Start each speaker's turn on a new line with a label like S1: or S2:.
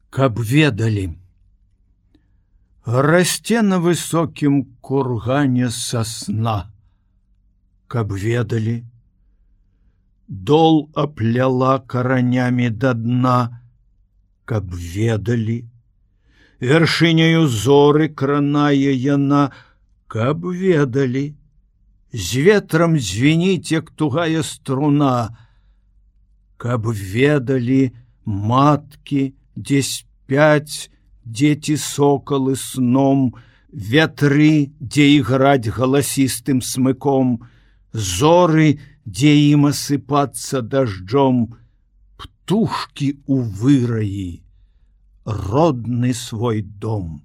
S1: Каб ведалі. Расце на высокім кургане сасна. Каб ведалі. Дол апляла каранямі да дна. Каб ведалі. Вяршыняю зоры кранае яна. Каб ведалі. З ветрам звініць, як тугая струна. Каб ведалі маткі, дзе спяць дзеці сокалы сном, вятры, дзе іграць галасістым смыком, зоры, дзе ім асыпацца дажджом, птушкі ў выраі, родны свой дом.